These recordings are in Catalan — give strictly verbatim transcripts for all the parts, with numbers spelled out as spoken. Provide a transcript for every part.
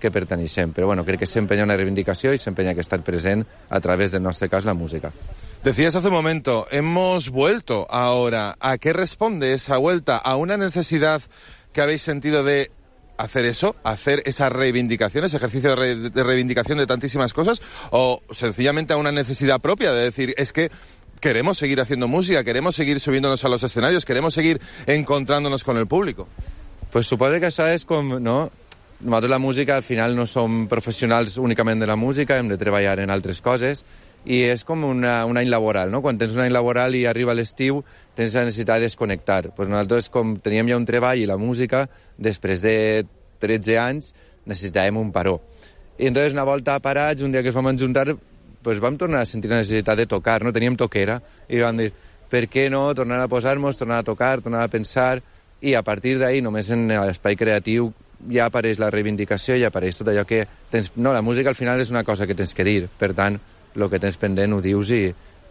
que perteneixem. Però bueno, crec que sempre hi ha una reivindicació i sempre hi ha que estar present a través del nostre cas la música. Decías hace un momento, hemos vuelto ahora. ¿A qué responde esa vuelta? ¿A una necesidad que habéis sentido de hacer eso, hacer esa reivindicación, ese ejercicio de, re de reivindicación de tantísimas cosas, o sencillamente a una necesidad propia de decir, es que queremos seguir haciendo música, queremos seguir subiéndonos a los escenarios, queremos seguir encontrándonos con el público? Pues suposo que això és com, no? Nosaltres la música al final no som professionals únicament de la música, hem de treballar en altres coses, i és com una, un any laboral, no? Quan tens un any laboral i arriba l'estiu, tens la necessitat de desconnectar. Pues nosaltres, com teníem ja un treball i la música, després de tretze anys, necessitàvem un paró. I entonces, una volta parats, un dia que es vam juntar, pues vam tornar a sentir la necessitat de tocar, no? Teníem toquera, i vam dir, per què no tornar a posar-nos, tornar a tocar, tornar a pensar, i a partir d'ahí, només en l'espai creatiu, ja apareix la reivindicació i apareix tot allò que tens... No, la música al final és una cosa que tens que dir, per tant, el que tens pendent ho dius i,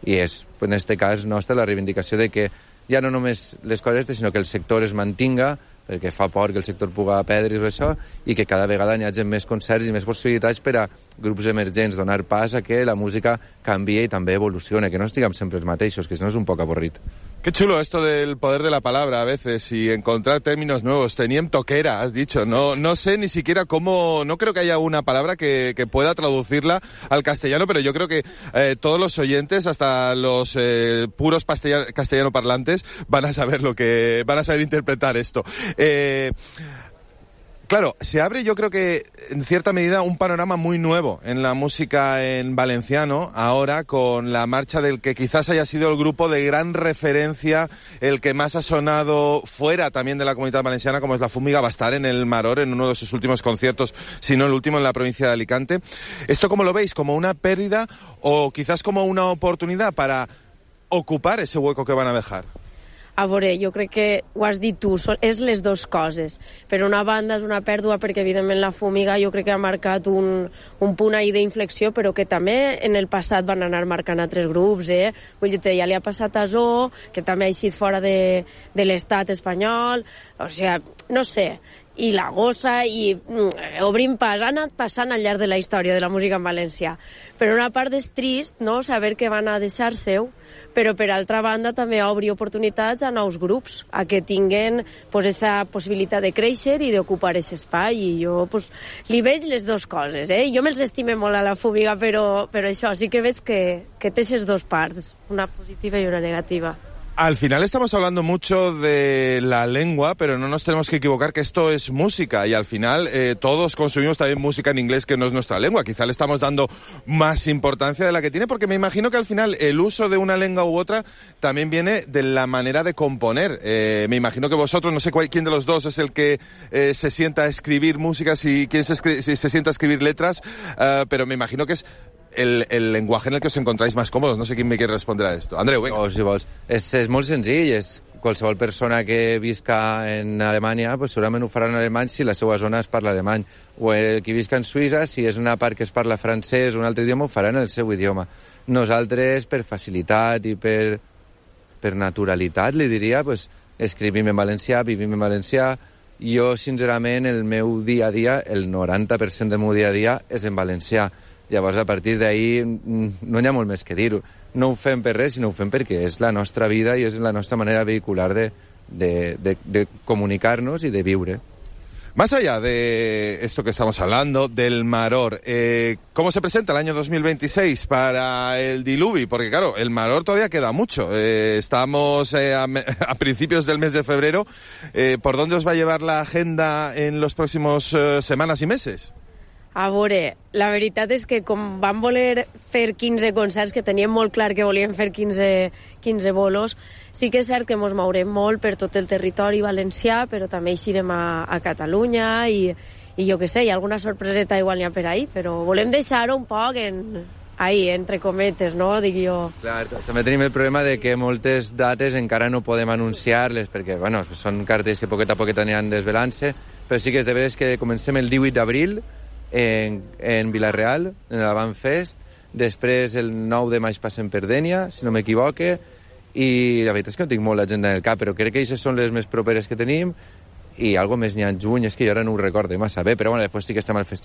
i és, en aquest cas nostre, la reivindicació de que ja no només les coses, sinó que el sector es mantinga, perquè fa por que el sector pugui perdre i això, i que cada vegada hi hagi més concerts i més possibilitats per a grups emergents, donar pas a que la música canvie i també evolucione, que no estiguem sempre els mateixos, que si no és un poc avorrit. Qué chulo esto del poder de la palabra a veces y encontrar términos nuevos. Teníem toquera, has dicho. No, no sé ni siquiera cómo... No creo que haya una palabra que, que pueda traducirla al castellano, pero yo creo que eh, todos los oyentes, hasta los eh, puros castellano parlantes, van a saber lo que... van a saber interpretar esto. Eh... Claro, se abre yo creo que en cierta medida un panorama muy nuevo en la música en valenciano, ahora con la marcha del que quizás haya sido el grupo de gran referencia, el que más ha sonado fuera también de la comunidad valenciana, como es La Fúmiga. Va a estar en el Maror en uno de sus últimos conciertos, si no el último, en la provincia de Alicante. ¿Esto cómo lo veis? ¿Como una pérdida o quizás como una oportunidad para ocupar ese hueco que van a dejar? A veure, jo crec que ho has dit tu, és les dues coses. Per una banda és una pèrdua perquè evidentment La Fúmiga jo crec que ha marcat un, un punt ahí d'inflexió, però que també en el passat van anar marcant altres grups, eh? Vull dir, ja li ha passat a Zoo, que també ha eixit fora de, de l'estat espanyol, o sigui, no sé, i La Gossa, i mm, obrim pas, ha anat passant al llarg de la història de la música en valencià. Per una part és trist, no?, saber que van a deixar seu, però per altra banda també obri oportunitats a nous grups, a que tinguen pues, esa possibilitat de créixer i d'ocupar aquest espai, i jo pues, li veig les dues coses, eh? Jo me'ls estime molt a La Fúmiga, però, però això sí que veig que, que té aquestes dues parts, una positiva i una negativa. Al final estamos hablando mucho de la lengua, pero no nos tenemos que equivocar que esto es música y al final eh, todos consumimos también música en inglés que no es nuestra lengua. Quizá le estamos dando más importancia de la que tiene, porque me imagino que al final el uso de una lengua u otra también viene de la manera de componer. Eh, me imagino que vosotros, no sé cuál, quién de los dos es el que eh, se sienta a escribir música, si quién se, si se sienta a escribir letras, uh, pero me imagino que es El, el lenguaje en el que os encontráis más cómodos. No sé quién me quiere responder a esto. Andreu, venga. Oh, si vols. És, és molt senzill, és qualsevol persona que visca en Alemanya, pues segurament ho farà en alemany si la seva zona es parla alemany. O el que visca en Suïssa, si és una part que es parla francès o un altre idioma, ho farà en el seu idioma. Nosaltres, per facilitat i per, per naturalitat, li diria, pues, escrivim en valencià, vivim en valencià. Jo, sincerament, el meu dia a dia, el noranta per cent del meu dia a dia és en valencià. Llavors, a partir d'ahir no hi ha molt més que dir-ho. No ho fem per res, sinó ho fem perquè és la nostra vida i és la nostra manera vehicular de, de, de, de comunicar-nos i de viure. Más allá de esto que estamos hablando, del Maror, eh, ¿cómo se presenta el año dos mil veintiséis para el Diluvi? Porque claro, el Maror todavía queda mucho. Eh, estamos eh, a, a principios del mes de febrero. Eh, ¿Por dónde os va a llevar la agenda en los próximos eh, semanas y meses? A veure, la veritat és que com vam voler fer quinze concerts, que teníem molt clar que volíem fer quinze, quinze bolos, sí que és cert que ens mourem molt per tot el territori valencià, però també eixirem a, a Catalunya i, i jo què sé, hi ha alguna sorpreseta igual n'hi ha per ahí, però volem deixar-ho un poc en, ahí, entre cometes, no?, dic jo. Clar, també tenim el problema de que moltes dates encara no podem anunciar-les, perquè, bueno, són cartells que poquet a poquet aniran desvelant-se, però sí que és de veres que comencem el divuit d'abril, En, en Vila-real, en l'Avant Fest, després el nou de maig passem per Dénia, si no m'equivoque, i la veritat és que no tinc molt l'agenda en el cap, però crec que aquestes són les més properes que tenim, i algo més n'hi ha en juny, és que jo ara no ho recordo massa bé, però bueno, després sí que estem al festival